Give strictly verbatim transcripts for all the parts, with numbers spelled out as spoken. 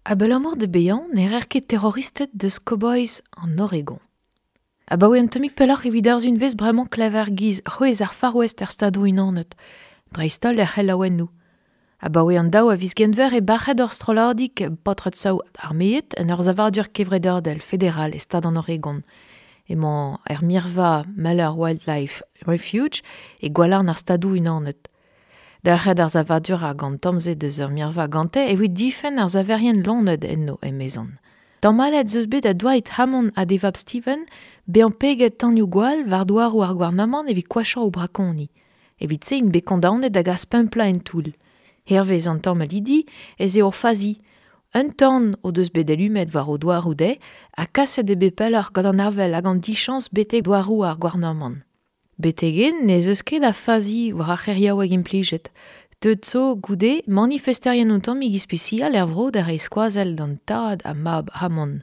Abalamour da bezañ ne reer ket terroristed deus cowboys an Oregon. Abaoe un tammig pelloc'h evit ar unvez bremañ klever giz c'hwezh ar Far West er Stadoù-Unanet, dreist-holl er c'helaouennoù. Abaoe an daou a viz Genver e bac'het ur strolladig paotred-saout armeet en ur savadur kevredadel federal e stad an Oregon. Emañ er mirva Malheur Wildlife Refuge e gwalarn ar Stadoù-Unanet. Dalc'het ar savadur hag an tamm-se deus ur mirva gante evit difenn ar saverien loened enno emezon. Tamallet 'z eus bet da Dwight Hammond ha d'e vab Steven bezañ peget tanioù-gwall war douaroù ar gouarnamant evit koachañ o brakoni. Evit se int bet kondaonet da gas pemp plat en toull. Hervez an tamallidi ez eo ur fazi. Un tan o deus bet alumet war o douaroù dezhe ha kaset eo bet pelloc'h gant an avel hag an dichañs betek douaroù ar gouarnamant. Betek-henn n'ez eus ket a fazi war ar c'heriaoueg implijet. Deuet zo goude manifesterien un tammig ispisial er vro da reiñ skoazell d'an tad ha mab Hammond.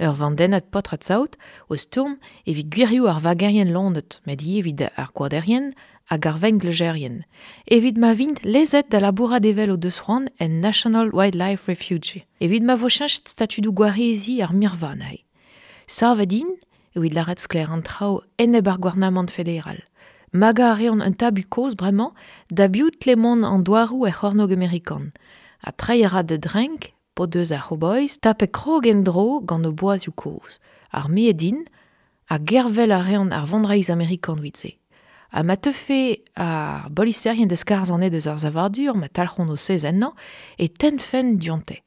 Ur vandennad paotred-saout o stourm evit gwirioù ar vagerien loened, met ivez evit ar gwaderien hag ar vengleuzerien. Evit ma vint lezet da labourat evel o deus c'hoant en National Wildlife Refuge. Evit ma vo cheñchet statudoù gwareziñ ar mirva anezhe. Savet int evit lâret sklaer an traoù enep ar gouarnamant federal. Magañ a reont un tabu kozh bremañ da biv tle mont an douaroù er c'hornôg amerikan. Ha treiñ a ra da drenk p'o deus ar c'howboys tapet krog en-dro gant o boazioù kozh. Armeet int ha gervel a reont ar vonreizh amerikan evit se. Ha ma teufe ar boliserien da skarzhañ anezhe deus ar savadur ma talc'hont o sez ennañ e tennfent dionte.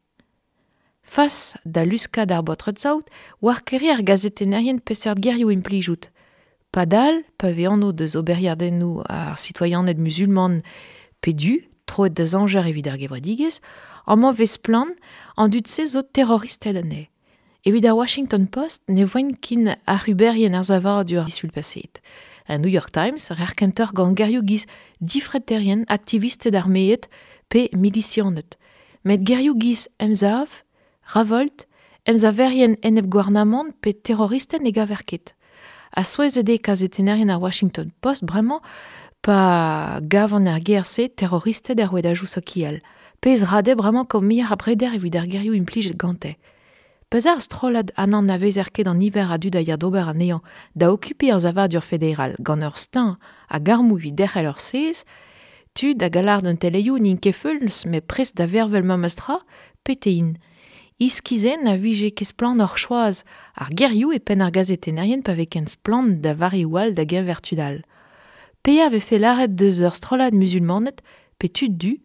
Fas da luskad ar baotred-saout war kere ar gazetennerien peseurt gerioù implijout. Padal, pa vez anv deus oberiadennoù ar sitoaianed muzulman pe du, troet da zañjer evit ar gevredigezh, amañ vez splann an dud-se zo terroristed anezhe. Evit ar Washington Post ne voent ken ac'huberien ar savadur disul paseet. An New York Times reer kentoc'h gant gerioù giz difreterien, aktivisted armeet pe milisianed. Met gerioù giz emsav, ravolt, emsaverien enep-gouarnamant pe terroristed ne gaver ket. Ha souezhet eo kazetennerien ar Washington Post bremañ pa gavan ar ger-se terroristed er rouedadoù sokial. Pezh ra dezhe bremañ kaout muioc'h a breder evit ar gerioù implijet gante. Pa'z a ar strollad ha n'anavezer ket an niver a dud a ya d'ober anezhañ da okupiñ ar savadur federal gant ur steuñv hag armoù evit derc'hel ur sez, tud hag a lâr d'an teleioù n'int ket feuls met prest da vervel memes tra, pete int. Iskizenn a vije ket splannoc'h choaz ar gerioù e penn ar gazetennerien pa vez ken splann da vareoù all da geñver tud all. Pe a vefe lâret deus ur strollad muzulmaned pe tud du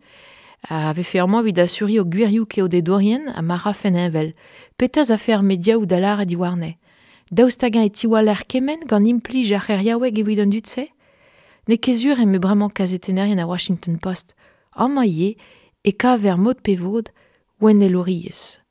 a vefe amañ evit asuriñ o gwirioù keodedourien ha ma rafen heñvel. Petra 'z afe ar mediaoù da lâret diwarne? Daoust hag-eñ e tiwaller kement gant implij ar c'heriaoueg evit an dud-se? N'eo ket sur eme bremañ kazetennerien ar Washington Post. Amañ ivez e kaver mod pe vod ouennelouriezh.